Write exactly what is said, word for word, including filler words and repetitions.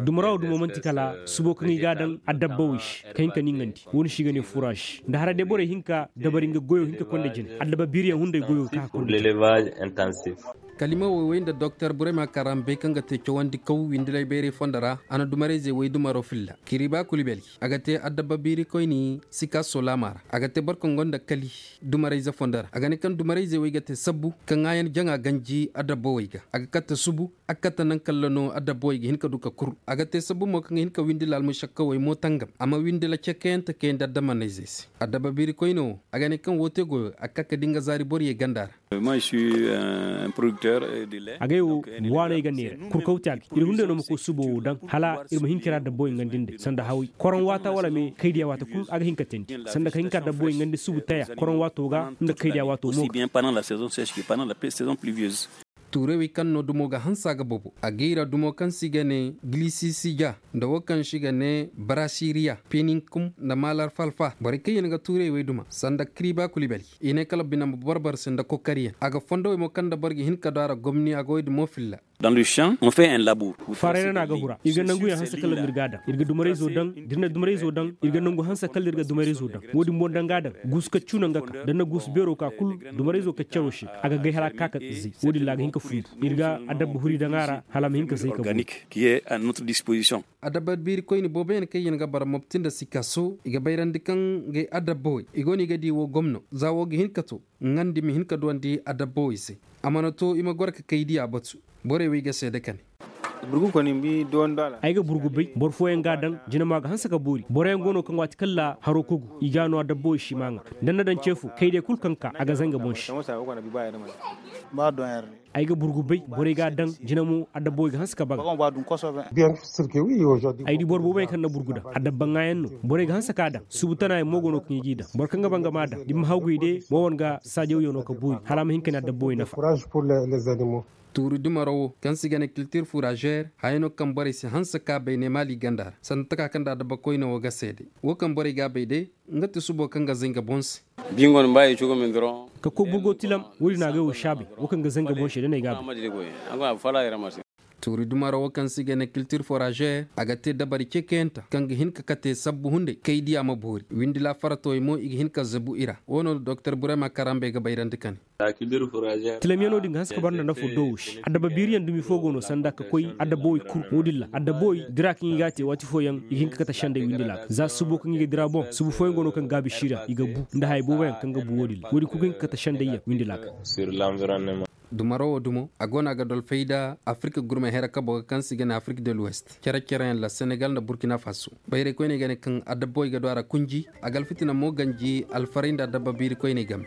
Dumara wo dumo manti kala subo kaŋ i ga a daŋ adabba wo i se ka hin ka niŋandi wo- din se i ga ne furaaz. Nda haray day borey hin ka dabari nga goyo hin ka konda jine adabba biiriyaŋ hunday goyo ga ka ga konda jine. Kalima wo way nda doktor burema karambe kaŋ ga te cawandi kaw windilay bayray fondo ra. A na dumarayzey way dumaro filla kiriba kulibali a ga te adabba biiri koyni sika solama ra a ga te boro kaŋ gonda kali dumarayze fondo ra a ga ne kaŋ dumarayzey way ga te sabbu ka ŋaayan jaŋa ganji adabba way ga a ga katta subu. A ga katta nangu kalla no adabba way ga hin ka du ka kur a ga te sabbu mo kaŋ ga hin ka windi laalmu sakkawey mo tangam a ma windi la cekayante kayandi adammanayzey se. Adabba biiri koyne wo a ga ne kaŋ wo te goyo a ga ka ka di nga zaari boriyey ganda ra. Agay wo waaney ga neera kurkawti a ga iri hunday no ma koy subo wo daŋ hala iri ma hin kira dabbo i ŋandi nd'ey sanda haway koroŋ waata wala me kaydiya waata kulu a ga hin ka teendi sanda ka hin ka dabbo i ŋandi subu taya koroŋ waato ga nda kaydiya waato mo ga. Tuuray wey kaŋ no dumo ga hanse a ga bobo a gay ra dumo kaŋ se i ga ne gilisisija nda wo kaŋ se i ga ne barasiriya peninkum nda malar falfa borey kaŋ yaŋ ga tuuray wey duma sanda kiriba kulibali i ne kala bine ma boro boro se nda kokariyaŋ a ga fondo wey mo kaŋ nda boro ga hin ka du a ra gomni a ga wey dumo filla. Faaray ra no a ga hura iri ga nangu yaŋ hanse kala no iri ga a daŋ iri ga dumarayzo daŋ da iri na dumarayzo daŋ iri ga nangu hanse kala no iri ga dumarayzo daŋ wo- din boŋ daŋ ga a daŋ guusu kaccu no nga ka da ni na guusu beero ka kulu dumarayzo kaccaro se a ga gay hala a ga ka ka zay wo- din ra a ga hin ka fundu iri ga adabba huri daŋ a ra hala a ma hin ka zay ka bu. Adabba biiri koyne boobo yaŋ kaŋ yaŋ ga bara mopti nda sikaso i ga bayrandi kaŋ ngey adabba wey i go no i ga di wo gomno za wo ga hin ka to ŋandi ma hin ka duwandi adabba wey se a mana to i ma goro ka kay diya batu. Borey wey ga seede kane. Ay ga burgu bay boro fooyaŋ ga a daŋ jina mo a ga hanse ka boori boroyaŋ go no kaŋ waati kala haro kogu i ga a no adabba wey si ma ŋa da ni na daŋ ce fo kay day kulu kaŋ ka a ga zanga boŋ se. Ay ga burgu bay borey ga a daŋ jina mo adabba wey ga hanse ka baga. Ay di boro boobo yaŋ kaŋ na burgu daŋ adabba ŋaayaŋ no borey ga hanse ka a daŋ subu tana yaŋ mo go no kaŋ i g'i daŋ boro kaŋ ga banga ma a daŋ da ni ma hawgay day mo wane ga saajaw yaŋ no ka boori hala a ma hin ka ne adabba wey nafa. Tuuri dumaro wo kaŋ se i ga ne kiltir furazer haya no kaŋ borey si hanse ka bay ne maali ganda ra sanda taka kaŋ nda adabba koyne wo ga seede wo kaŋ borey ga a bay day. Nga ti subo kaŋ ga zay nga boŋ se. Ka koy burgo tilam wo- din a ga ay wo saabay wo kaŋ ga zay nga boŋ se da no ay ga a bay. Tuuri dumaro wo kaŋ se i ga ne kiltir forazer a ga te dabari cekayante kaŋ ga hin ka kate sabbu hunday kay diya ma boori windi laafaratawey mo i ga hin ka zabu i ra wo no doktor burema karambe ga bayrandi kane. Tilamyaŋo din ga hanse ka bara nda nafo doowo se adabba biiriyaŋ dumi fo go no sanda ka koy adabba way kulu wo- din ra adabba way dira kaŋ i ga a te waati fooyaŋ i ga hin ka kate sendey windi laaka za subo kaŋ i ga dira boŋ subu fooyaŋ go no kaŋ gaabi siira i ga bu nda haya booboyaŋ kaŋ ga bu wo- din ra wo- din kulu ga hin ka kate sendey yaŋ windi laaka. Dumaro wo dumo a go no a ga dolfay nda afirka gurmey hera kabo ga kaŋ se i ga ne afirka de l'ouest care care yaŋ ra senegal nda burkina faso. Bayray koyney ga ne kaŋ adabba way ga du a ra kunji a ga alfitina mo ganji alfaray nda adabba biiri koyney game.